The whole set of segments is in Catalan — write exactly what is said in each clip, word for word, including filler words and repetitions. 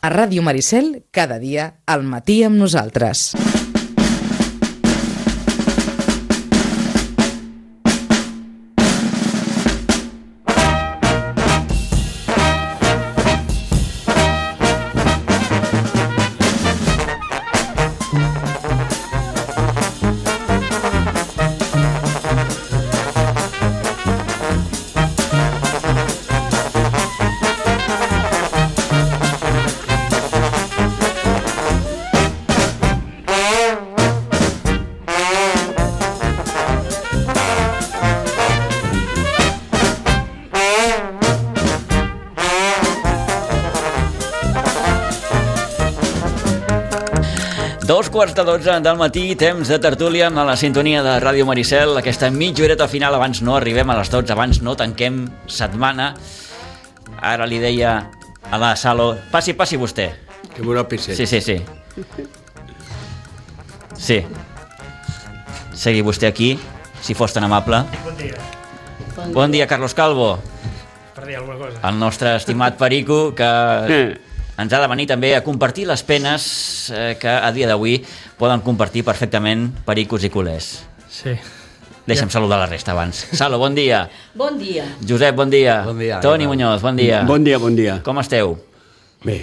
A Ràdio Maricel, cada dia, al matí amb nosaltres. Dos quarts de dotze del matí, temps de tertúlia a la sintonia de Ràdio Maricel. Aquesta mitja horeta final, abans no arribem a les dotze, abans no tanquem setmana. Ara li deia a la Salo, passi, passi vostè. Que m'ho pisset. Sí, sí, sí. Sí. Segui vostè aquí, si fos tan amable. Bon dia. Bon dia, Carlos Calvo. Per dir alguna cosa. El nostre estimat Perico, que ens ha de venir també a compartir les penes eh, que a dia d'avui poden compartir perfectament pericos i culers. Sí. Deixa'm ja. saludar la resta abans. Salo, bon dia. Bon dia. Josep, bon dia. Bon dia. Toni Muñoz, bon dia. Bon dia, bon dia. Com esteu? Bé.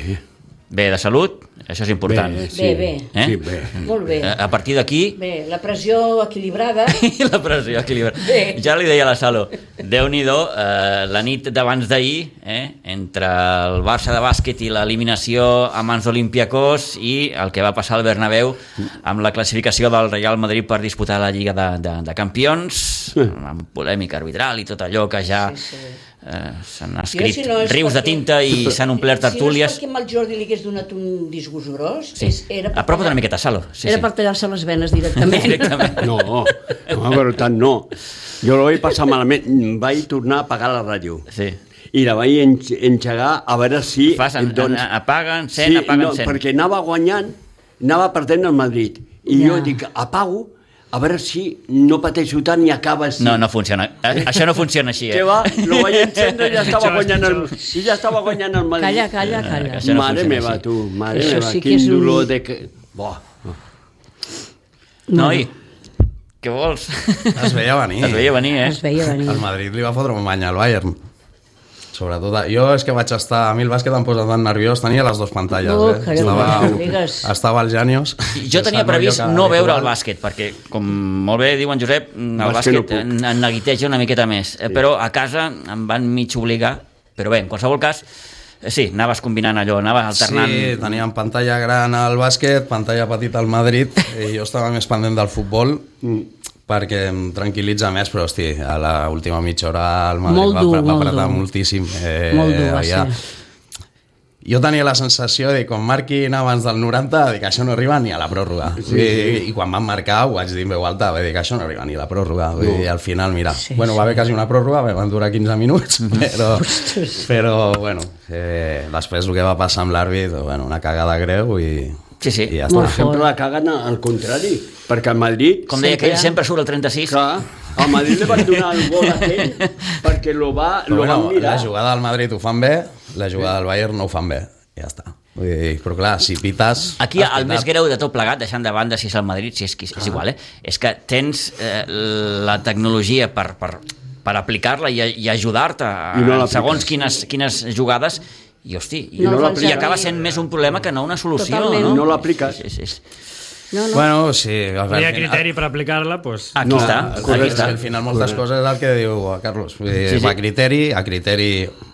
Bé, de salut? Això és important. Bé, sí. Bé, bé. Eh? Sí, bé. Molt bé. A partir d'aquí... Bé, la pressió equilibrada. la pressió equilibrada. Bé. Ja li deia a la Salo, Déu-n'hi-do, eh, la nit d'abans d'ahir, eh, entre el Barça de bàsquet i l'eliminació a mans d'Olympiacos i el que va passar al Bernabéu amb la classificació del Real Madrid per disputar la Lliga de, de, de Campions, amb polèmica arbitral i tot allò que ja... Sí, sí. Eh, s'han escrit si no rius de perquè... tinta i s'han omplert tertúlies. Si no és perquè amb el Jordi li hagués donat un disgust gros, sí. és, era per apropa't tallar... una miqueta, Salo. Sí, era sí. per tallar-se les venes directament. directament. No, no, però tant no. Jo la vaig passar malament. Vaig tornar a apagar la ràdio. Sí. I la vaig enx enxegar a veure si... Fas, en, doncs... en, apaga, encén, sí, apaga, no, encén. perquè anava guanyant, anava perdent el Madrid. I Ja. jo dic, apago, a veure si no pateixo tant i acaba així. No, no funciona. Això no funciona així, eh? Què va? Lo vaig encendre i ja estava Pitjor, guanyant el, pitjor. i ja estava guanyant el Madrid. Calla, calla, calla. Això no Mare funciona meva, així. tu, mare Això meva, sí que quin és un- dolor de que... Bo. Noi, què vols? Es veia venir. Es veia venir, eh? Es veia venir. El Madrid li va fotre un bany al Bayern. Sobretot, jo és que vaig estar... A mi el bàsquet em posa tan nerviós, tenia les dues pantalles, Oh, eh? carai, Estava, no digues. estava al Genius. Jo tenia previst no veure el bàsquet, perquè, com molt bé diu en Josep, el Bàsquet no bàsquet puc. en, en neguiteja una miqueta més. Sí. Però a casa em van mig obligar. Però bé, en qualsevol cas, eh, sí, anaves combinant allò, anaves alternant... Sí, teníem pantalla gran al bàsquet, pantalla petita al Madrid, i jo estava més pendent del futbol, perquè em tranquil·litza més, però hosti, a l'última mitja hora el Madrid Molt va, dur, va molt apretar dur. moltíssim. Eh, Molt dur va havia... ser. Jo tenia la sensació de quan marquin abans del noranta, de que això no arriba ni a la pròrroga. Sí, I, I quan van marcar ho vaig dir en veu alta, de que això no arriba ni a la pròrroga. No. I al final, mira, Sí, bueno, va haver quasi una pròrroga, van durar quinze minuts, però, Ostres. però bueno, eh, després el que va passar amb l'àrbit, bueno, una cagada greu i, Sí, sí. i ja Per està. exemple, la caguen al contrari, perquè el Madrid... Com deia aquell, sempre surt el trenta-sis. Clar, al Madrid li van donar el gol aquell perquè lo, va, Però lo bueno, van mirar. la jugada del Madrid ho fan bé, la jugada del Bayern no ho fan bé. Ja està. Vull dir, però clar, si pites... Aquí has el pitat. més greu de tot plegat, deixant de banda si és el Madrid, si és, és Ah. igual, eh? És que tens eh, la tecnologia per, per, per aplicar-la i, i ajudar-te I no en l'apliques. segons quines, quines jugades i, hosti, i, No no fan i servir. acaba sent més un problema que no una solució. Totalment. No, No l'apliques. Sí, sí, sí. No, no. Bueno, sí. Al No hi ha final- criteri per aplicar-la, doncs... Aquí No, està, correcte. aquí És està. que al final moltes coses és el que diu Carlos. Vull dir, Sí, sí. va a criteri, a criteri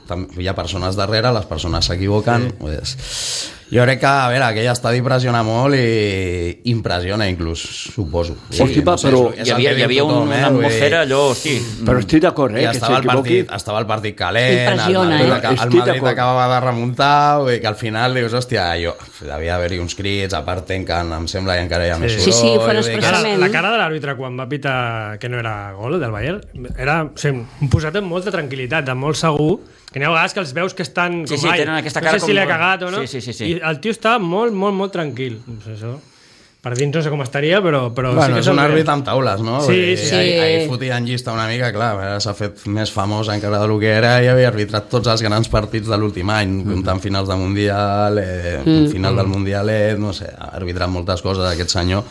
tam- hi ha persones darrere, les persones s'equivoquen. Sí. Jo crec que, a veure, aquell estadi pressiona molt i impressiona inclús, suposo. Sí, Hosti, va, però és Hi el havia, que hi diu havia tothom, una eh? Vull dir, atmosfera allò, hosti... Però estic d'acord, eh, I que estava el, s'equivoqui. partit, estava el partit calent, Impressiona, el Madrid, eh? aca- el Estic Madrid d'acord. acabava de remuntar, vull dir que al final dius, hòstia, jo, devia haver-hi uns crits, a part tanquen, em sembla, i encara hi ha més Sí, sí, ho fan vull dir que- expressament. Cara, la cara de l'àrbitre quan va pitar que no era gol del Bayern era o sigui, un posat amb molta tranquil·litat, de molt segur, que n'hi ha vegades que els veus que estan Sí, com, sí, ai, tenen aquesta no cara sé com si l'he molt- cagat o no, Sí, sí, sí, sí. i el tio està molt, molt, molt tranquil. No sé, això. per dins no sé com estaria, però, però Bueno, sí que és un se'l àrbit ve. amb taules, no? Sí, Vull dir, sí. Ahir, ahir fotien llista una mica, clar, ara s'ha fet més famós encara del que era i havia arbitrat tots els grans partits de l'últim any, mm. comptant finals de Mundial, eh, mm. final del Mundial, eh, no sé, ha arbitrat moltes coses aquest senyor,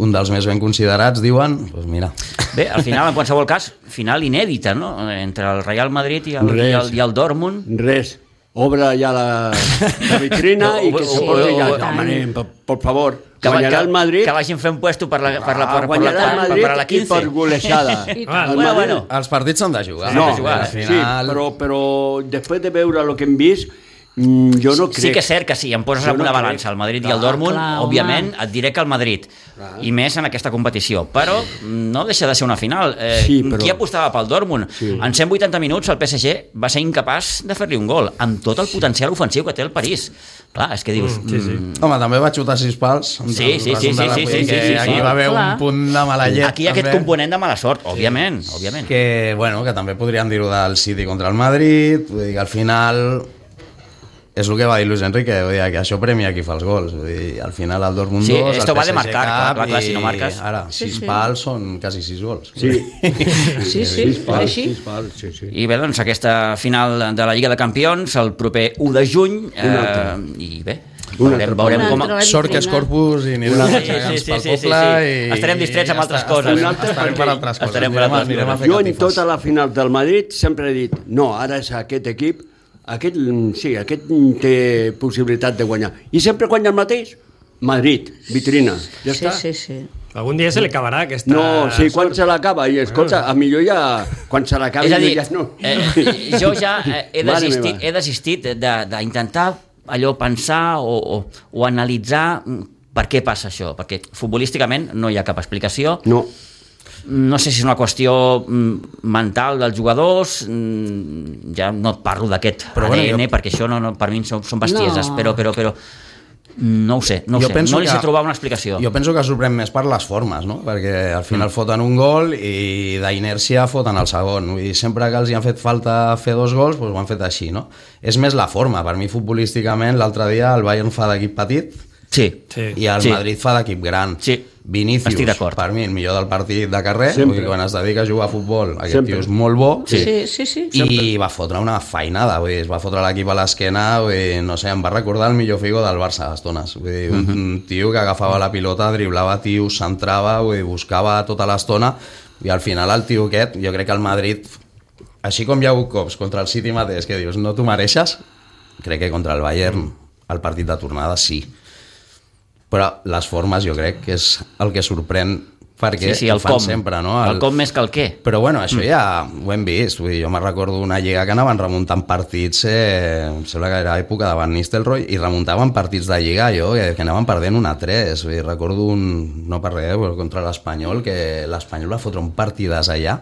un dels més ben considerats, diuen, doncs pues mira. Bé, al final, en qualsevol cas, final inèdita, no? Entre el Real Madrid i el, i el, i el Dortmund. Res. Obre ja la, la vitrina i que se porti ja. Home, per, per favor, Que, guanyarà el Madrid. que vagin fent puesto per la, per la, per, per la, guanyarà el per, Madrid per la i quinze. per golejada. Ah, El bueno, Madrid- bueno. Els partits s'han de jugar. No, de jugar, al sí, final... però, però després de veure el que hem vist, mm, jo no crec. Sí que és cert que si em poses Jo en una no balança crec. el Madrid i Clar, el Dortmund, clar, home. òbviament et diré que el Madrid, i més en aquesta competició, però no deixa de ser una final. Eh, Sí, però- Qui apostava pel Dortmund? Sí. En cent vuitanta minuts el P S G va ser incapaç de fer-li un gol, amb tot el potencial ofensiu que té el París. Clar, és que dius... Mm, sí, sí. Home, també va xutar sis pals. Sí, sí, sí, sí, sí, sí, sí, sí, Aquí sí. va haver Clar. un punt de mala llet. Aquí hi ha aquest també. component de mala sort, òbviament, òbviament. Que, bueno, que també podríem dir-ho del City contra el Madrid, vull dir que al final és el que va dir Luis Enrique, vull dir que això premia qui fa els gols, vull dir, al final el Dortmund Sí, dos, esto el va de P S G marcar, clar, cap, clar, clar, si no i marques. Ara, Sí, sis sí. pals són quasi sis gols. Sí, Sí, sí, sis pals, així. sis pals, sí, sí. I bé, doncs aquesta final de la Lliga de Campions el proper u de juny eh, i bé, Una veurem, altra. veurem Una com... altra. Sort que és Corpus i anirem a Sí, fer sí, gegants sí, pel sí, sí, poble sí. i... Estarem distrets amb i altres ja coses. Estarem, Un altre estarem per perquè- altres coses. estarem per Anirem a- altres anirem a coses. fer Jo en catifes. tota la final del Madrid sempre he dit, no, ara és aquest equip, aquest, sí, aquest té possibilitat de guanyar. I sempre guanya el mateix? Madrid, vitrina, ja Sí, està. sí, sí. Algun dia se li acabarà aquesta... No, sí, quan sort. se l'acaba, i escolta, a millor ja, quan se l'acabi, És a dir, jo ja no. eh, jo ja eh, he, Mare desistit, meva. he desistit de- d'intentar allò pensar o, o, o analitzar mm, per què passa això, perquè futbolísticament no hi ha cap explicació. No, No sé si és una qüestió mm, mental dels jugadors, mm, ja no et parlo d'aquest Però A D N, bueno, jo- perquè això no, no, per mi són, són bestieses, No. però, però, però no ho sé, no ho Jo sé, penso no li sé que- trobar una explicació. Jo penso que sorprèn més per les formes, no? Perquè al final foten un gol i d'inèrcia foten el segon. Vull dir, sempre que els hi han fet falta fer dos gols, doncs ho han fet així, no? És més la forma. Per mi, futbolísticament, l'altre dia el Bayern fa d'equip petit Sí, Sí. i el Sí. Madrid fa d'equip gran. Sí. Vinícius, Estic d'acord. per mi, el millor del partit de carrer. Sempre. Vull dir, quan es dedica a jugar a futbol, aquest Sempre. tio és molt bo. Sí. Sí, sí, sí. I va fotre una feinada, vull dir, es va fotre l'equip a l'esquena, vull dir, no sé, em va recordar el millor Figo del Barça a estones, vull dir, un, un tio que agafava la pilota, driblava tios, centrava, vull dir, buscava tota l'estona, i al final el tio aquest, jo crec que el Madrid, així com hi ha hagut cops contra el City mateix, que dius, no t'ho mereixes, crec que contra el Bayern, el partit de tornada sí. Però les formes jo crec que és el que sorprèn perquè Sí, sí, ho el fan com. sempre, no? El com més que el què. Però bueno, això ja ho hem vist. Vull dir, jo me'n recordo una lliga que anaven remuntant partits, eh, em sembla que era època de Van Nistelrooy, i remuntaven partits de lliga, jo, que, que anaven perdent un a tres. Vull dir, recordo un, no per res, però contra l'Espanyol, que l'Espanyol va fotre un partidàs allà,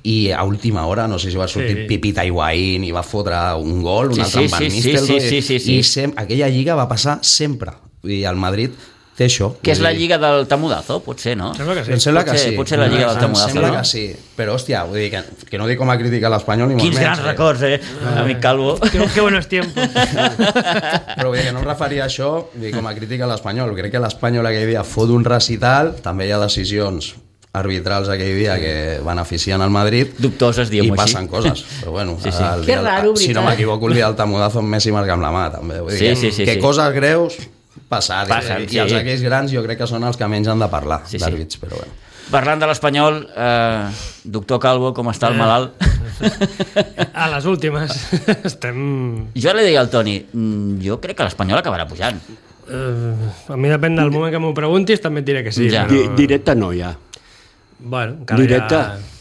i a última hora, no sé si va sortir Sí. Pipita Higuaín i va fotre un gol, un Sí, altre sí, amb Van sí, sí, Nistelrooy, sí, sí, sí, sí. i sem aquella lliga va passar sempre. Vull dir, el Madrid té això. Que és vull la dir, lliga del Tamudazo, potser, no? Sembla que sí. em sembla Pot que ser- sí. pot ser la lliga del Em Tamudazo, sembla no? que sí. Però, hòstia, vull dir que, que no dic com a crítica a l'Espanyol ni molt Quins menys. grans eh? records, eh, amic Calvo. Qué, qué buenos tiempos. Però vull dir que no em referia a això vull dir, com a crítica a l'Espanyol. Crec que l'Espanyol aquell dia fot un recital, també hi ha decisions arbitrals aquell dia que beneficien al Madrid Dubtoses, i diguem-ho així. passen coses, però bueno, Sí, sí. el Que dia- raro, si no veritat. m'equivoco, el dia del Tamudazo amb Messi marca amb la mà, també. Vull dir Sí, que, sí, sí, que sí. coses greus passar, Passen, i, sí. i els aquells grans jo crec que són els que menys han de parlar Sí, sí. d'àrbits, però bueno. Parlant de l'Espanyol, eh, doctor Calvo, com està el malalt? A les últimes. Estem... Jo li deia al Toni, mm, jo crec que l'Espanyol acabarà pujant. Uh, a mi depèn del moment que m'ho preguntis, també et diré que sí. Ja. Però... Di directe no hi ha. Bueno, encara Directe. ja...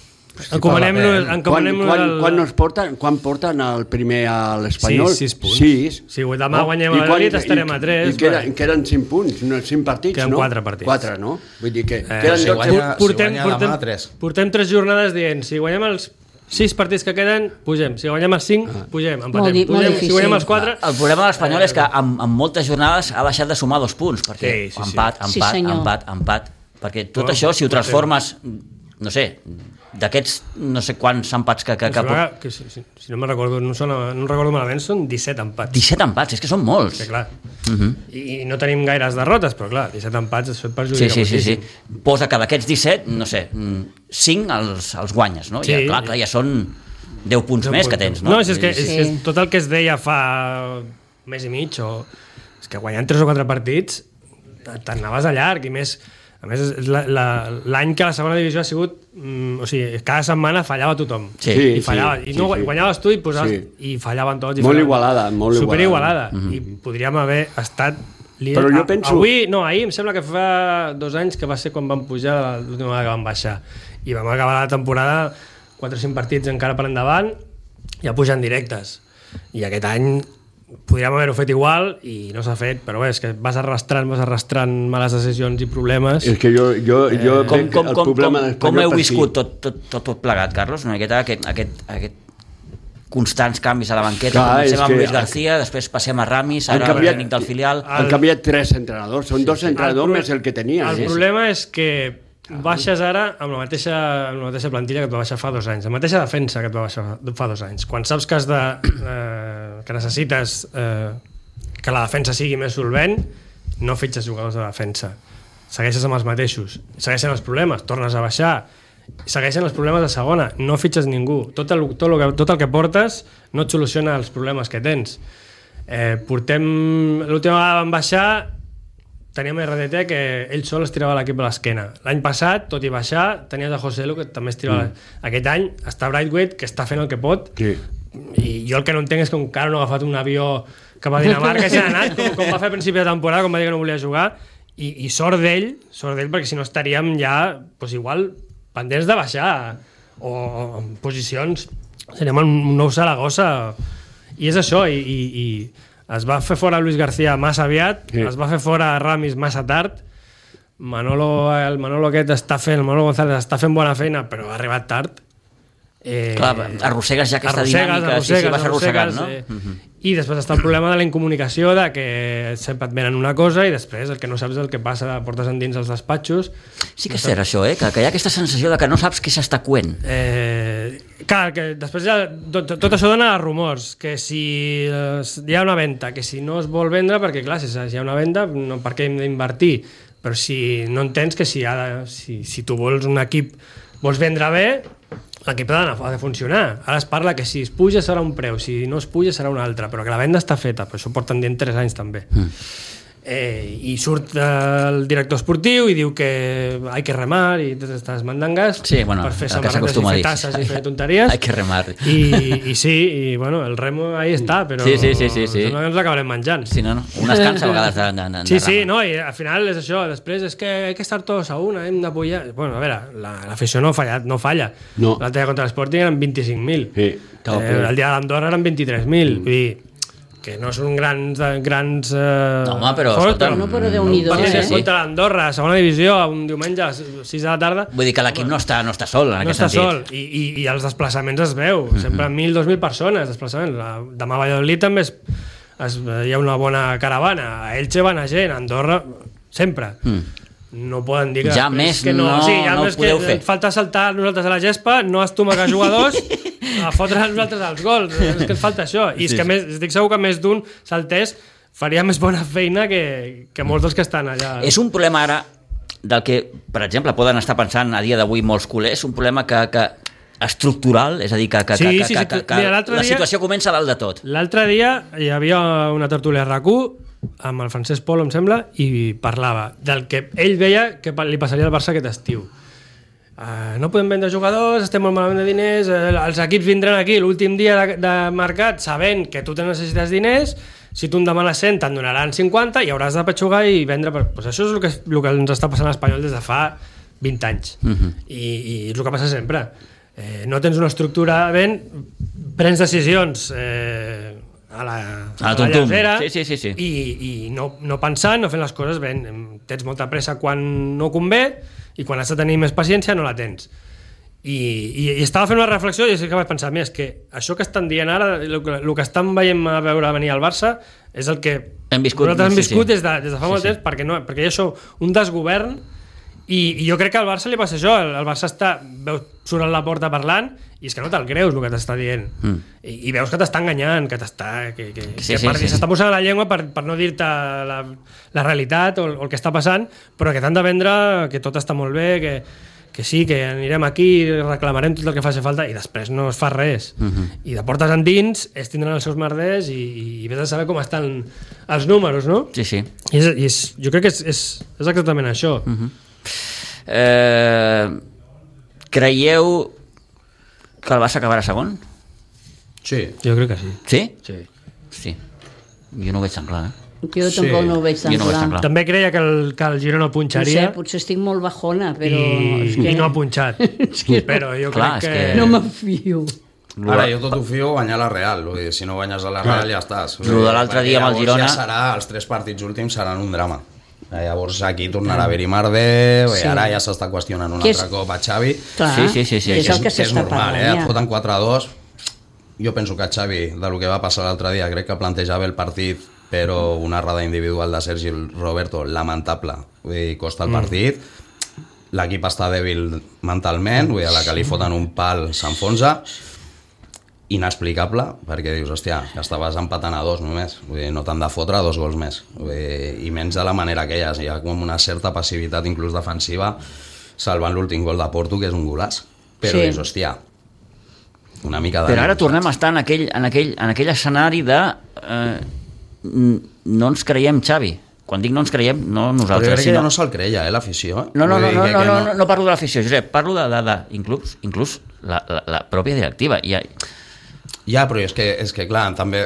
Encomanem-nos Quan, encomanem quan, el... quan, nos porten, quan porten el primer a l'Espanyol? Sis, sis punts. Sis. Si demà guanyem I el quan- Madrid estarem i- a tres, I queden, va. queden cinc punts, no, cinc partits, Queden no? quatre partits. Quatre, no? Vull dir que Eh, queden si dotze guanya- punts. portem, guanya demà, portem, tres. portem tres jornades dient si guanyem els sis partits que queden, pugem. Si guanyem els cinc, pugem. Empatem. Molt di- molt pugem. difícil. Si guanyem els quatre... El problema de l'Espanyol és que en, en moltes jornades ha deixat de sumar dos punts, perquè Sí, sí, sí. empat, Sí, empat, senyor. empat, empat, perquè tot Bueno, això, si ho pot ser. transformes, no sé, d'aquests no sé quants empats que... que, Em que sembla pot... que, si, si, si no me'n recordo, no, sona, no recordo malament, són disset empats. disset empats, és que són molts. Que clar. Uh-huh. I no tenim gaires derrotes, però clar, disset empats es fet perjudica sí, sí, sí, moltíssim. sí. Posa que d'aquests disset, no sé, cinc els, els guanyes, no? Sí. Ja, clar, clar, ja són deu punts més que tens, no? No, és, és que, és, Sí. és, tot el que es deia fa un mes i mig, o... és que guanyant tres o quatre partits te'n anaves a llarg, i més, a més és la, la, l'any que la segona divisió ha sigut, mm, o sigui, cada setmana fallava tothom. Sí. Sí, I fallava, sí, i no sí, sí. guanyaves tu i posaves, Sí. i fallaven tots. I Molt fallaven. igualada, molt igualada. Superigualada. Mhm. I podríem haver estat líder. Però jo A- penso- Avui, no, ahir em sembla que fa dos anys que va ser quan vam pujar l'última vegada que vam baixar. I vam acabar la temporada quatre o cinc partits encara per endavant, ja pujant directes. I aquest any podríem haver-ho fet igual i no s'ha fet, però bé, és que vas arrastrant, vas arrastrant males decisions i problemes. És que jo, jo, jo Com, veig com, el com, problema com, d'Espanyol com heu per viscut aquí. tot, tot, tot, tot plegat, Carlos? Una miqueta aquest, aquest, aquest constants canvis a la banqueta. Clar, Comencem és amb que- Luis García, després passem a Ramis, Han ara el canviat- tècnic del filial. Han canviat tres entrenadors, són dos entrenadors pro- més el que tenia. El eh? problema és que baixes ara amb la mateixa, amb la mateixa plantilla que et va baixar fa dos anys, la mateixa defensa que et va baixar fa dos anys. Quan saps que has de, eh, que necessites eh, que la defensa sigui més solvent, no fitxes jugadors de defensa. Segueixes amb els mateixos. Segueixen els problemes, tornes a baixar. Segueixen els problemes de segona, no fitxes ningú. Tot el, tot el, que, tot el que portes no et soluciona els problemes que tens. Eh, portem... L'última vegada vam baixar, teníem R D T que ell sol es tirava l'equip a l'esquena. L'any passat, tot i baixar, tenies a José Lu que també es tirava... Mm. Aquest any està Brightweight, que està fent el que pot, Sí. i jo el que no entenc és que encara no ha agafat un avió cap a Dinamarca i s'ha anat, com, com va fer a principi de temporada, com va dir que no volia jugar, i, i sort d'ell, sort d'ell, perquè si no estaríem ja, doncs igual, pendents de baixar, o en posicions, seríem un nou Saragossa, i és això, i, i, i es va fer fora Luis García massa aviat, Sí. es va fer fora Ramis massa tard, Manolo, el Manolo aquest està fent, el Manolo González està fent bona feina, però ha arribat tard. Eh, Clar, arrossegues ja aquesta arrossegues, dinàmica, arrossegues, sí, sí, vas arrossegant, no? arrossegues, eh? I després està el problema de la incomunicació, de que sempre et venen una cosa i després el que no saps és el que passa, portes endins els despatxos. Sí que és cert, això, eh? Que, que hi ha aquesta sensació de que no saps què s'està coent. Eh, clar, que després ja, tot, tot això dona rumors, que si eh, hi ha una venda, que si no es vol vendre, perquè clar, si hi ha una venda, no, per què hem d'invertir? Però si no entens que si, ha de, si, si tu vols un equip, vols vendre bé, l'equip ha de, ha de funcionar. Ara es parla que si es puja serà un preu, si no es puja serà un altre, però que la venda està feta, però això porten dient tres anys també. Mm. Eh, i surt el director esportiu i diu que hay que remar i totes aquestes mandangues Sí, bueno, per fer el que samarretes i s'acostuma a fer dir. tasses i fer tonteries. Hay que remar. I, i sí, i bueno, el remo ahí està, però Sí, sí, sí, sí, sí. sembla que ens l'acabarem menjant. Sí, no, no? Un es cansa a vegades de, de, de, Sí, de sí, remar. no, i al final és això, després és que hay que estar todos a una, hem d'apoyar... Bueno, a veure, la- l'afició no, falla, no falla. No. L'altre dia contra l'Sporting eren vint-i-cinc mil. Sí, estava eh, ple. el dia de l'Andorra eren vint-i-tres mil. Mm. Vull dir, que no són grans... grans eh, No, home, però, forts, escolta, No, però Déu-n'hi-do, Partit eh? sí. contra l'Andorra, segona divisió, un diumenge a les sis de la tarda. Vull dir que l'equip no està, no està sol, en No aquest està sentit. sol, I, i, i els desplaçaments es veu, sempre mil, dos mil persones, desplaçaments. La, demà a Valladolid també es, es, hi ha una bona caravana, a Elche va anar gent, a Andorra, sempre. Mm. No poden dir que... Ja després més que no, no- sí, ja no ho més que podeu fer. falta saltar nosaltres a la gespa, no estomagar jugadors, a fotre nosaltres als gols, és que ens falta això. I és Sí, que sí. més, estic segur que més d'un saltés faria més bona feina que, que molts dels que estan allà. És un problema ara del que, per exemple, poden estar pensant a dia d'avui molts culers, un problema que, que estructural, és a dir, que, que, Sí, que, sí, que, sí, que, que mira, l'altre la dia- situació comença a dalt de tot. L'altre dia hi havia una tertúlia a RAC u amb el Francesc Polo, em sembla, i parlava del que ell veia que li passaria al Barça aquest estiu. Uh, no podem vendre jugadors, estem molt malament de diners, uh, els equips vindran aquí l'últim dia de, de mercat sabent que tu te necessites diners, si tu en demanes cent te'n donaran cinquanta i hauràs de petxugar i vendre. Per... Pues això és el que, el que ens està passant a l'Espanyol des de fa vint anys. Mhm. I, i és el que passa sempre. Eh, no tens una estructura ben, prens decisions eh, a la, A la tuntum. llargera Sí, sí, sí, sí. i, i no, no pensant, no fent les coses ben. Tens molta pressa quan no convé i quan has de tenir més paciència no la tens. I, i, i estava fent una reflexió i és que vaig pensar, mira, és que això que estan dient ara, el que, el que estan veient a veure venir al Barça és el que Hem viscut, nosaltres hem sí, viscut sí. des de, des de fa Sí, molt sí. temps, perquè, no, perquè hi ha això, un desgovern I, I jo crec que al Barça li passa això, el, el Barça està, veus, surt a la porta parlant i és que no te'l creus el que t'està dient. Mm. I, I veus que t'està enganyant, que t'està que, que, sí, que sí, per, sí, s'està sí. posant a la llengua per, per no dir-te la, la realitat o, o el que està passant, però que t'han de vendre que tot està molt bé, que, que sí, que anirem aquí, reclamarem tot el que faci falta i després no es fa res. Mm-hmm. I de portes endins ells tindran els seus merders i, i vés a saber com estan els números, no? Sí, sí. I, és, i és, jo crec que és, és, és exactament això. Mm-hmm. Eh, creieu que el Barça acabarà segon? Sí. Jo crec que sí. Sí? Sí. Sí. Jo no ho veig tan clar, eh? Jo tampoc no ho veig tan Jo no ho veig tan clar. clar. També creia que el, que el Girona No sé, punxaria potser estic molt bajona, però... i, és que i no ha punxat. és que Però jo Clar, crec és que... que- no me'n fio. Ara jo tot ho fio a guanyar la Real, vull dir, si no guanyes a la Real ja estàs. Lo de l'altre dia amb el Llavors Girona- Ja serà, els tres partits últims seran un drama. Llavors aquí tornarà a haver-hi merder, Sí. sí. Ara ja s'està qüestionant un Que és- altre cop a Xavi. Clar, Sí, sí, sí, sí, és que el que és s'està normal, parlant eh? Et ja. foten quatre a dos. Jo penso que Xavi, de lo que va passar l'altre dia, crec que plantejava el partit, però una errada individual de Sergi Roberto lamentable, vull dir, costa el partit. L'equip està dèbil mentalment, vull dir, a la que li foten un pal s'enfonsa. Inexplicable, perquè dius, hòstia, que estaves empatant a dos només, vull dir, no t'han de fotre dos gols més, vull dir, i menys de la manera que hi ha, hi ha com una certa passivitat inclús defensiva, salvant l'últim gol de Porto, que és un golaç, però Sí. dius, hòstia, una mica de... Però ara tornem a estar en aquell, en aquell, en aquell escenari de eh, n- no ens creiem Xavi. Quan dic no ens creiem, no Però jo nosaltres, crec que sinó... ja no se'l creia, eh, l'afició. Eh? No, no, Vull no, dir no, que- no, que no, no, no parlo de l'afició, Josep, parlo de, de, de inclús, inclús la, la, la pròpia directiva. I, Ja, però és que, és que clar, també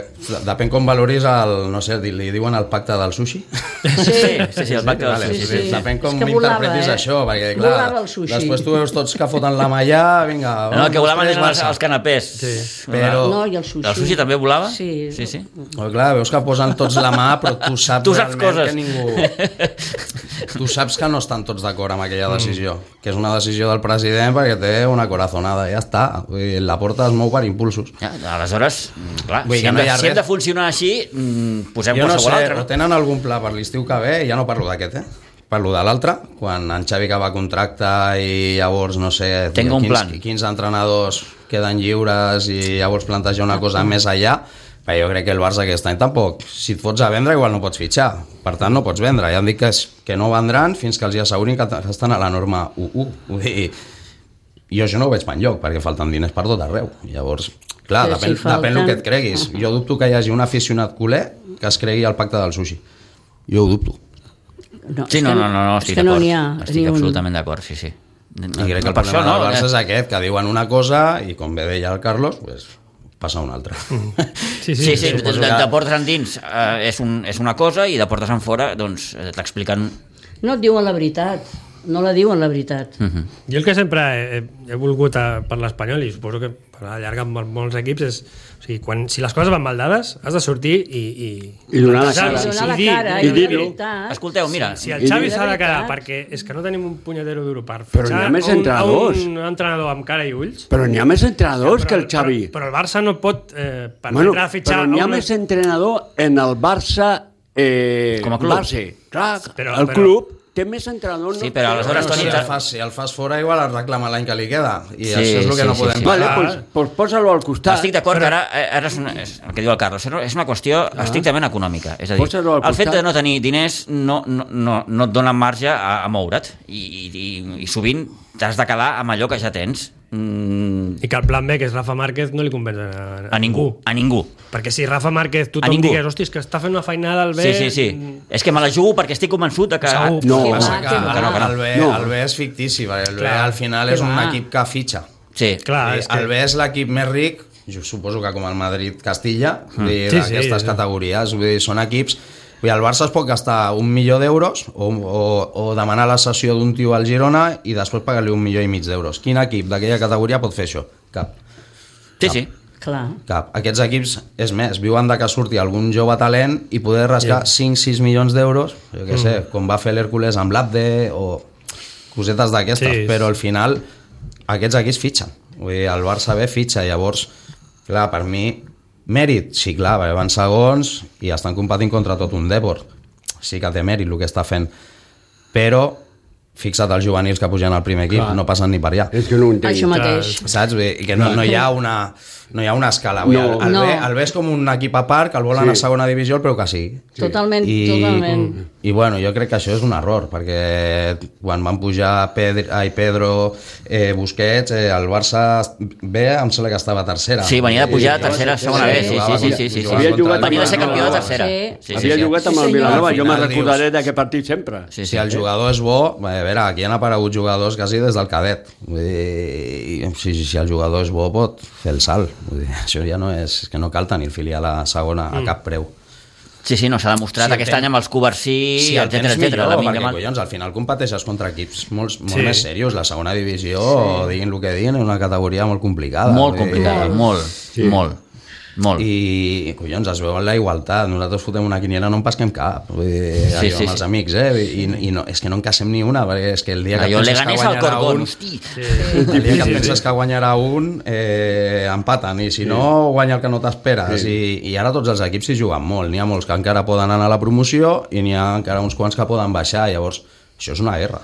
depèn com valoris el, no sé, li diuen el pacte del sushi. sí, sí, sí, el pacte del Vale, sushi. sí, sí. Depèn com És que volava, interpretis eh? això, perquè clar, Volava el sushi. després tu veus tots que foten la malla, vinga... No, un, que dos, volaven tres, eren els, Barça. els canapés. Sí. Però- No, i el sushi. El sushi també volava? Sí. Sí, sí. Oh, clar, veus que posen tots la mà, però tu saps, Tu saps realment coses. que ningú... Tu saps que no estan tots d'acord amb aquella decisió, que és una decisió del president perquè té una corazonada, ja està. Vull dir, la porta es mou per impulsos. Ja, aleshores, mm, clar, Vull dir si que hem, no de, hi ha si hem res. de funcionar així, mm, posem Jo no qualsevol sé, altre. o No? tenen algun pla per l'estiu que ve, ja no parlo d'aquest, eh? Parlo de l'altre, quan en Xavi acaba contracte i llavors, no sé, Tengo un plan. quins, quins entrenadors queden lliures i llavors plantejar una cosa més allà, però jo crec que el Barça aquest any tampoc, si et fots a vendre igual no pots fitxar, per tant no pots vendre, ja em dic que, és, que no vendran fins que els hi assegurin que t- estan a la norma u u, vull dir, jo això no ho veig per enlloc, perquè falten diners per tot arreu, llavors, clar, Però depèn, si falten- depèn el que et creguis, jo dubto que hi hagi un aficionat culer que es cregui el pacte del sushi, jo ho dubto. No, Sí, és no, que no, no, no és estic que no d'acord. n'hi ha Estic ni un- absolutament d'acord, sí, sí. I crec que el Per problema això, no? del Barça Eh, és aquest, que diuen una cosa i com bé deia el Carlos, pues, passa una altra. Sí, Sí, sí, de, suposo de, que- de portes endins eh, és, un, és una cosa i de portes en fora doncs, eh, t'expliquen... No et diuen la veritat. No la diuen la veritat. Uh -huh. Jo el que sempre he, he volgut a, per l'Espanyol, i suposo que per la llarga amb molts equips, és o sigui, quan, si les coses van mal dades, has de sortir i... I, I donar la plantejar-ho, cara. I donar la dir- cara, i i, dir-ho. la veritat. Escolteu, mira, Si el I Xavi dir- s'ha de quedar, veritat. perquè és que no tenim un punyetero duro per Però fitxar n'hi ha més a un, entrenadors. a un entrenador amb cara i ulls. Però n'hi ha més entrenadors Però- que el Xavi. Però, però el Barça no pot eh, permetre Bueno, fitxar... però n'hi ha a una- més entrenador en el Barça eh, Com a club. base. Clar, Però- el però- club té més entrenadors. Sí, però aleshores, Bueno, Toni, si, te- el fas, si el fas fora igual el reclama l'any que li queda i Sí, això és el que sí, no sí, podem sí. Vale, pagar. pues, pues posa-lo al costat. estic d'acord que ara, eh, ara és, una, és el que diu el Carlos, és una qüestió estrictament econòmica. És a dir, Posa-lo al el fet costat. de no tenir diners no, no, no, no et dona marge a, a moure't i, i, i, i sovint t'has de quedar amb allò que ja tens. Mm, I que el plan B, que és Rafa Márquez, no li convenç a, a ningú, a ningú. Perquè si Rafa Márquez A tothom ningú. digués, hòstia, és que està fent una feinada al B... Sí, sí, sí. És que me la jugo perquè estic convençut de que... Segur. No, Que Passa va, que, que que, va. no, que el, B, No. el B és fictici, perquè el B Clar. al final Que és un va. equip que fitxa. Sí. Clar, I és que... el B és l'equip més ric, jo suposo que com el Madrid-Castilla, mm. Sí, sí, d'aquestes sí. categories, vull dir, són equips... Vull dir, el Barça es pot gastar un milió d'euros o, o, o demanar la cessió d'un tio al Girona i després pagar-li un milió i mig d'euros. Quin equip d'aquella categoria pot fer això? Cap. Sí, sí. Clar. Cap. Aquests equips, és més, viuen de que surti algun jove talent i poder rascar cinc sis milions d'euros, jo què sé, com va fer l'Hèrcules amb l'Abde o cosetes d'aquestes, Sí. però al final aquests equips fitxen. Vull dir, el Barça B fitxa, llavors, clar, per mi, mèrit, sí, clar, perquè van segons i estan competint contra tot un Depor. Sí que té mèrit el que està fent, però fixa't els juvenils que pugen al primer equip, Clar. no passen ni per allà. És que no ho entenc. Això mateix. Saps? Bé, i que no, no hi ha una... No hi ha una escala. No. El, el, No. B, el B és com un equip a part que el volen Sí. a segona divisió, però que sí. Totalment, I, totalment. I bueno, jo crec que això és un error, perquè quan van pujar Pedro, ai, Pedro eh, Busquets, eh, el Barça B em sembla que estava a tercera. Sí, venia de pujar a tercera, segona B, sí, sí, sí, sí, sí, sí. Havia jugat Venia de ser amb el campió de Vilanova. tercera. Sí. Sí, sí, Havia sí. jugat amb Sí, el senyor. Vilanova, Al jo me'n final recordaré dius- d'aquest partit sempre. Sí, Si el jugador és bo, a veure, aquí han aparegut jugadors quasi des del cadet. Vull dir, si, si el jugador és bo, pot fer el salt. Vull dir, això ja no és... que no cal tenir el filial a segona a cap preu. Sí, sí, no, s'ha demostrat Si el aquest tens- any amb els Covarsí, Sí, el etcètera, tens etcètera. millor, Lamine perquè, Yamal. collons, al final competeixes contra equips molt, molt Sí. més serios. La segona divisió, sí. diguin el que diguin, és una categoria molt complicada. Molt Vull dir, complicada, molt, Sí. molt, molt. I, collons, es veu en la igualtat. Nosaltres fotem una quiniela, no en pesquem cap. Vull dir, Sí, allò, sí, amb els sí. amics, eh? I, i no, és que no en casem ni una, perquè és que el dia que Allò penses que Leganés al guanyarà Corcón, un... hosti. El dia que penses que guanyarà un, eh, empaten, i si no, guanya el que no t'esperes. Sí. I, I ara tots els equips s'hi juguen molt. N'hi ha molts que encara poden anar a la promoció i n'hi ha encara uns quants que poden baixar. Llavors, això és una guerra.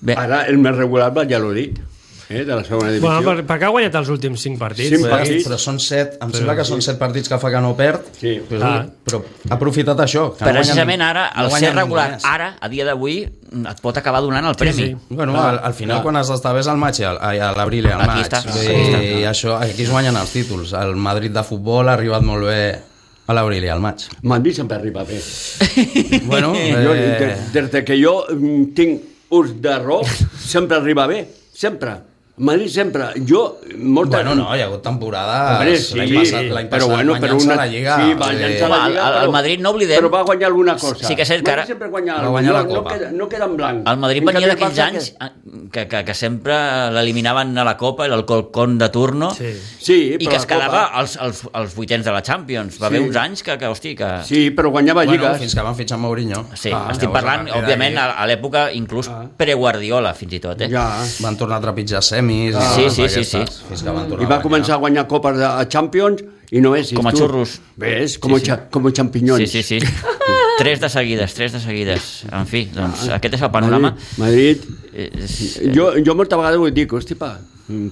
Bé, Ara el més regular va Valladolid, eh, de la segona divisió. Bueno, per, perquè ha guanyat els últims cinc partits. Cinc Però, partits. però són set, em sembla que són set partits que fa que no perd, Sí. però, Ah. però ha aprofitat això. Que no precisament guanya- ara, no el guanya ser ningú regular, més. ara, a dia d'avui, et pot acabar donant el premi. sí. Bueno, al, al final, clar. quan has d'estar bé és al maig, i al- ai, a l'abril i al Aquí maig. està, Vull sí, dir, està. això, aquí es guanyen els títols. El Madrid de futbol ha arribat molt bé a l'abril i al maig. Madrid sempre arriba bé. Bueno, Jo, eh, de, des de que jo mm, tinc ús de rock, sempre arriba bé, sempre. Madrid sempre. Jo, molta... bueno, no, hi ha hagut temporades... Hombre, sí, l'any passat, l'any però passat bueno, però guanyant-se una... la Lliga. Sí, va vull dir, llançar la Home, Lliga, el- el però, Madrid no oblidem- però va guanyar alguna cosa. Sí que és cert que ara- Madrid sempre guanya Va alguna guanyar la no, Copa. No queda, no queda en blanc. El Madrid En venia canvi, el d'aquells Barça anys que- que, que, que sempre l'eliminaven a la Copa, el Colcón de turno, Sí. Sí, i però que es la Copa- quedava als, als, als vuitens de la Champions. Va Sí. haver uns anys que, que hosti, que... Sí, però guanyava Bueno, lligues. fins que van fitxar Mourinho. Sí, Ah, estic llavors, parlant, a partir òbviament, d'ahí- a, a l'època inclús pre-Guardiola, fins i tot, eh? Ja. Van tornar a trepitjar semis. Ah. i Sí, sí, sí, sí. aquestes, Fins que van tornar I va a guanyar. començar a guanyar copes de a Champions i no és... Com a tu. xurros. Ves? Com, Sí, sí. cha- com champinyons. Sí, sí, sí. Tres de seguides, tres de seguides. En fi, doncs aquest és el panorama. Madrid, Eh, Madrid. és- Jo, jo molta vegada ho dic, hosti, pa,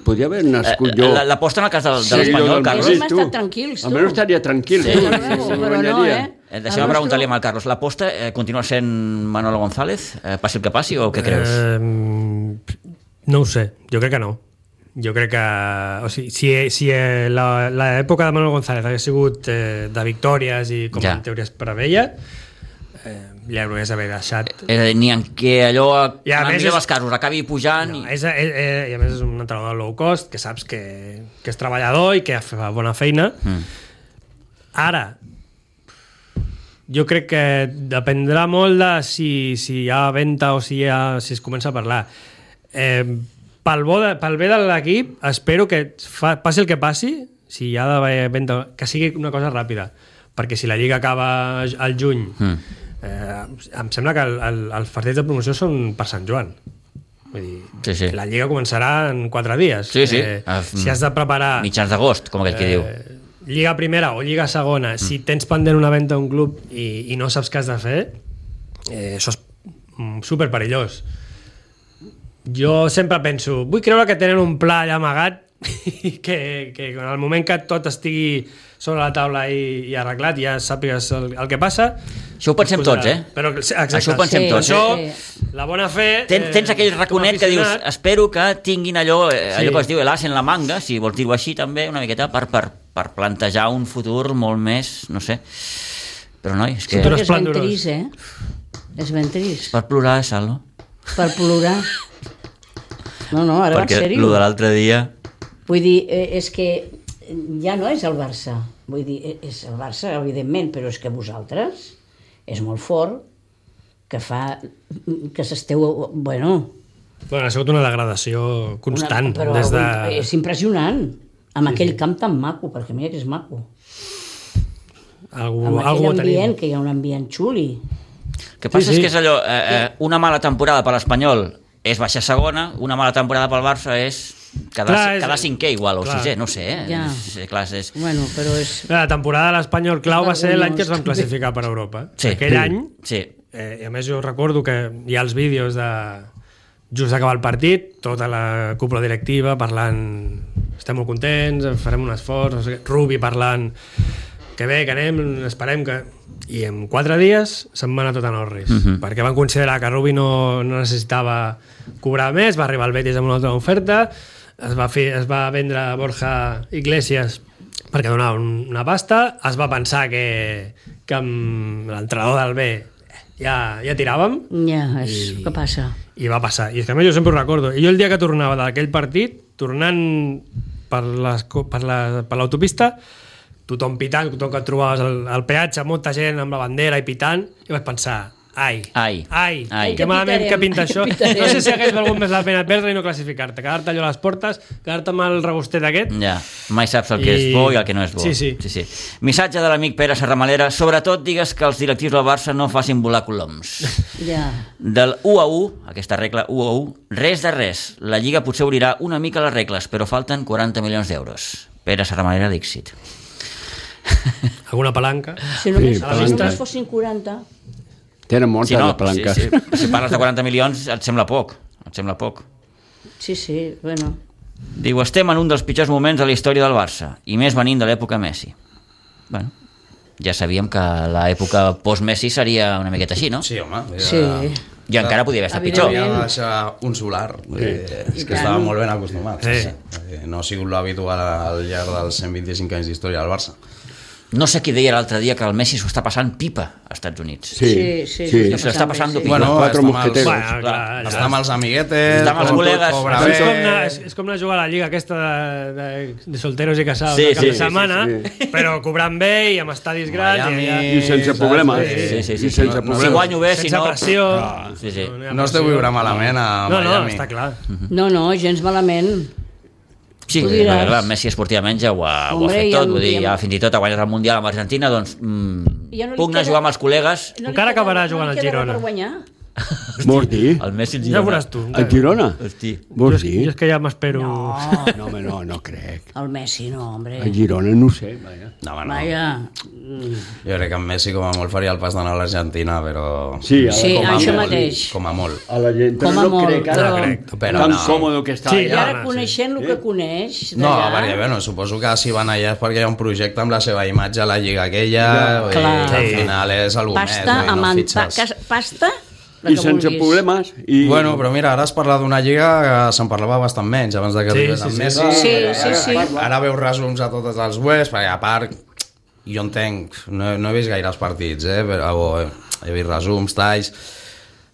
podria haver nascut jo... Eh, la- L'aposta en el cas del, de Sí, l'Espanyol, jo del Carlos. Madrid, Hem tu. estat tranquils, tu. Almenys estaria tranquil. Sí. tu, Ja veu, si però no, guanyaria. eh? Eh, Deixa'm El preguntar-li nostre- al Carlos, l'aposta eh, continua sent Manolo González? Eh, passi el que passi o què creus? Eh, no ho sé, jo crec que no. Jo crec que... O sigui, si, si eh, la- l'època de Manuel González hagués sigut eh, de victòries i com Ja. en teoria es preveia, eh, ja hauries d'haver deixat... És a dir, ni en què allò, I a en el més millor és- dels casos, acabi pujant... No, i... és, és, és, I a més és un entrenador low cost, que saps que, que és treballador i que fa bona feina. Mm. Ara, jo crec que dependrà molt de si, si hi ha venda o si, hi ha, si es comença a parlar. Eh, pel, bo de, pel bé de l'equip, espero que fa, passi el que passi, si hi ha d'haver venda, que sigui una cosa ràpida, perquè si la Lliga acaba al juny, Mm. eh, em sembla que el, el, els partits de promoció són per Sant Joan. Vull dir, Sí, sí. la Lliga començarà en quatre dies. Sí, sí. Eh, Ah, si has de preparar Mitjans d'agost, com aquell que diu. eh, Lliga primera o Lliga segona, mm. si tens pendent una venda a un club i, i no saps què has de fer, eh, això és mm, super perillós. Jo sempre penso, vull creure que tenen un pla allà amagat i que, que en el moment que tot estigui sobre la taula i, i arreglat ja sàpigues el, el que passa. Això ho pensem es posarà. tots, eh? Però, exacte, Això ho pensem Sí, tots. Això, sí. la bona fe... Ten, tens aquell raconet que dius, espero que tinguin allò, eh, allò Sí. que es diu l'as en la manga, si vols dir-ho així també, una miqueta, per, per, per plantejar un futur molt més, no sé. Però noi, és que Futur Perquè és ben esplendorós. trist, eh? És ben trist. per plorar, Sal, no? Per plorar. No, no, ara va en Perquè sèrio. el de l'altre dia... Vull dir, eh, és que ja no és el Barça. Vull dir, eh, és el Barça, evidentment, però és que vosaltres és molt fort que fa que s'esteu... Bueno, Bueno, ha sigut una degradació constant. una, però des de... és impressionant. Amb aquell camp tan maco, perquè mira que és maco. Algú, Amb algú aquell ho tenim. ambient, que hi ha un ambient xuli. El que passa Sí, sí. és que és allò, eh, eh, una mala temporada per l'Espanyol és baixar segona, una mala temporada pel Barça és quedar, Clar, és- quedar cinquè igual, o clar. sisè, no sé, eh? Ja. És, clar, és... Bueno, però és... La temporada de l'Espanyol clau va ser l'any que es vam Vergonyós. classificar per Europa. Sí. Aquell any Sí. Eh, I a més jo recordo que hi ha els vídeos de just acabar el partit, tota la cúpula directiva parlant, estem molt contents, farem un esforç, no sé què, Rubi parlant que bé, que anem, esperem que... I en quatre dies se'n va anar tot a Norris, uh-huh. perquè van considerar que Rubi no, no necessitava cobrar més, va arribar el Betis amb una altra oferta, es va, fer, es va vendre Borja Iglesias perquè donava una pasta, es va pensar que, que amb l'entrenador del B ja, ja tiràvem. Ja, és I, què passa. I va passar. I és que a més jo sempre ho recordo. I jo el dia que tornava d'aquell partit, tornant per l'autopista, tothom pitant, tothom que et trobaves al, al peatge, molta gent amb la bandera i pitant, i vaig pensar, ai, ai, ai, ai. que malament que pinta això. Pitarem. No sé si hagués valgut més la pena perdre i no classificar-te, quedar-te allò a les portes, quedar-te amb el regustet aquest. Ja, mai saps el que I... és bo i el que no és bo. Sí, sí. sí, sí. Missatge de l'amic Pere Serramalera, sobretot digues que els directius del Barça no facin volar coloms. Ja. Del u a u, aquesta regla u a u, res de res. La Lliga potser obrirà una mica les regles, però falten quaranta milions d'euros. Pere Serramalera, Dixit. Alguna palanca. Si només, Sí, si palanca. només fossin quaranta... Tenen moltes Si, no, de palanques. si, si, si parles de quaranta milions et sembla poc, et sembla poc. Sí, sí, bueno... Diu, estem en un dels pitjors moments de la història del Barça, i més venint de l'època Messi. Bueno, ja sabíem que l'època post-Messi seria una miqueta així, no? Sí, home. Ja... Sí. I encara podia haver estat pitjor. Havia de deixar un solar, eh, és que estava molt ben acostumat. Sí. Eh, No ha sigut l'habitual al llarg dels cent vint-i-cinc anys d'història del Barça. No sé qui deia l'altre dia que el Messi s'ho està passant pipa als Estats Units. Sí, Sí, sí, sí. s'ho S'ho està passant bé, pipa. Bueno, Quatre està amb mosqueteros. els- Bueno, clar, clar, Està amb els amiguetes, Està amb els com tot col·legues. cobra És bé. com, anar, és, és com anar a jugar a la lliga aquesta de, de, de solteros i casados Sí, sí, cap sí, de sí, setmana, sí, però cobrant bé i amb estadis grans. Miami, I, I sense saps? problemes. Sí, sí, sí, sí. I sense No, no, problemes. Si guanyo bé, si sense no... pressió. Sí, sí. hi ha No es deu pressió. viure malament a No, no, Miami. està clar. No, no, gens malament. Sí, Tu perquè, diràs. clar, Messi esportivament ja ho ha, ho ha Hombre, fet ja tot, em- vull dir, ja em- ja fins i tot ha guanyat el Mundial amb Argentina, doncs mm, Ja no li puc anar a queda- jugar amb els col·legues. No li Encara queda- acabarà no jugant li al queda Girona. per guanyar. Vols dir? El Messi el Ja Girona. veuràs tu. El Girona? Hosti. Vols Jo dir? és que ja m'espero... No, No, home, no, no crec. el Messi no, hombre. El Girona no ho sé, vaja. No, home, no. Vaja. Jo crec que en Messi com a molt faria el pas d'anar a l'Argentina, però... Sí, ara Sí, com a això molt. mateix. Com a molt. A la gent, Com però a no molt, crec ara. però- crec, però Tan no. còmode que està Sí, I allà. ara no, coneixent el que coneix No, d'allà... perquè, bueno, suposo que si van allà és perquè hi ha un projecte amb la seva imatge a la lliga aquella, Ja, i clar. al Sí. final és el més, Pasta, no, i no amant, pa, fitxes. cas, pasta, la I que sense vulguis. problemes. I... Bueno, però mira, ara es parla d'una lliga que se'n parlava bastant menys abans de que Sí, arribés sí, amb sí. Messi. Sí, sí, sí. Ara veus resums a totes els webs, perquè a part, jo entenc, no, no he vist gaires partits, eh, però he vist resums, talls,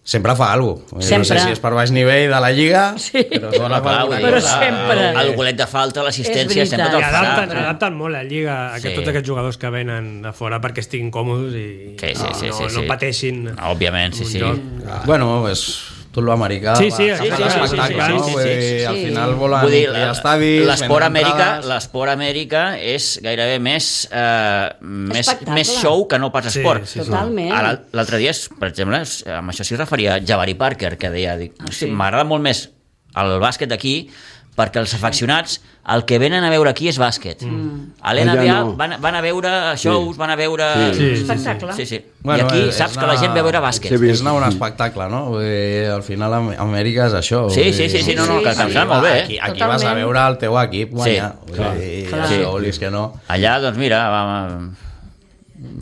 sempre fa alguna cosa. No Sempre. sé si és per baix nivell de la lliga, Sí. però dona Clar, alguna vull dir, Però cosa. sempre. El golet de falta, l'assistència, És sempre veritat. te'l I farà. adapten, adapten molt la lliga a que Sí. tots aquests jugadors que venen a fora perquè estiguin còmodes i Sí, sí, sí, no, sí, no sí. pateixin. Òbviament, sí, un sí. joc. Bueno, és tot l'americà. Sí, sí, va, sí, s'ha sí, fet sí, l'espectacle, sí, sí, no? sí, Vull sí, dir, sí. al final volen Vull dir, omplir estadis, l'esport vendre Amèrica, entrades. l'esport Amèrica és gairebé més, eh, més, Espectacle. més show que no pas Sí, esport. sí, sí. Totalment. Ara, l'altre dia, per exemple, amb això s'hi referia Jabari Parker, que deia, dic, Ah, sí. sí. m'agrada molt més el bàsquet d'aquí perquè els afeccionats el que venen a veure aquí és bàsquet. Mm. A l'N B A Allà no. van, van a veure shows, Sí. van a veure... Sí. Sí, sí, Espectacle. Sí, sí. Bueno, I aquí és saps que una- la gent ve a veure bàsquet. Sí, És anar a un espectacle, no? Vull dir, al final Am- Amèrica és això. Sí, vull sí, sí, dir, sí, no, no, Sí, que sí. em sembla molt bé, eh? Aquí, aquí Totalment. vas a veure el teu equip guanyar. Sí, Vull clar. dir, Clar. si volis que no. Allà, doncs mira, va,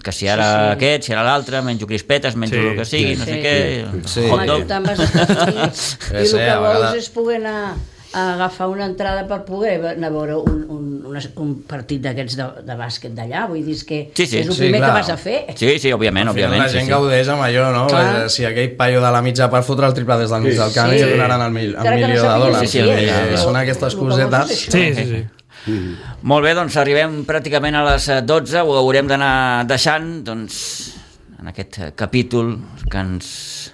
que si ara sí, sí. aquest, si ara l'altre, menjo crispetes, menjo Sí, el que sigui, sí, no sé sí. què, Sí. hot Home, dog. tu te'n vas estar aquí i Sí, el sí, que a vols vegades- és poder anar a agafar una entrada per poder anar a veure un, un, un, un partit d'aquests de, de bàsquet d'allà. Vull dir, és que Sí, sí. és el Sí, primer clar. que vas a fer. Sí, sí, òbviament, Al final òbviament. la Sí, gent sí. gaudeix amb allò, no? Clar. Eh, Si aquell paio de la mitja per fotre el triple des del mig Sí. del camp Sí. i li donaran el, mil, el Encara que no milió de sàpigues dòlars. Sí, sí, Vull dir, sí, sí. Són aquestes El que vols és cosetes. això. Sí, sí, sí. Molt bé, doncs arribem pràcticament a les eh, dotze, ho haurem d'anar deixant, doncs, en aquest eh, capítol que ens,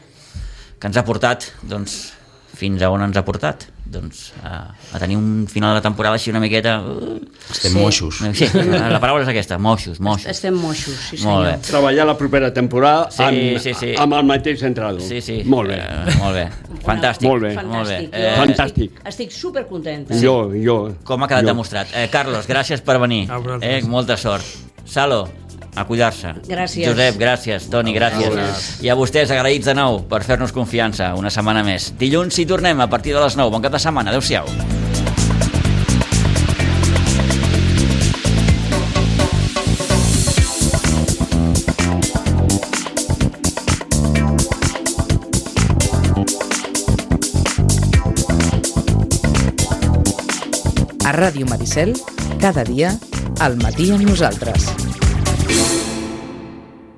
que ens ha portat, doncs, fins a on ens ha portat? Doncs a, a tenir un final de temporada així una miqueta... Uh, Estem Sí. moixos. sí, la paraula és aquesta, moixos, moixos. Estem moixos, sí Molt senyor. bé. Treballar la propera temporada Sí, amb, sí, sí. amb el mateix entrenador. Sí, sí. Molt bé. Eh, molt bé. Fantàstic. Molt bé. Molt bé. Fantàstic. Eh, Jo Fantàstic. Estic, estic supercontenta. Jo, jo. com ha quedat jo. demostrat. Eh, Carlos, gràcies per venir. A vosaltres. Eh, molta sort. Salo, a cuidar-se. Gràcies. Josep, gràcies. Toni, gràcies. I a vostès, agraïts de nou per fer-nos confiança una setmana més. Dilluns hi tornem a partir de les nou. Bon cap de setmana. Adéu-siau. A Ràdio Maricel, cada dia, al matí amb nosaltres.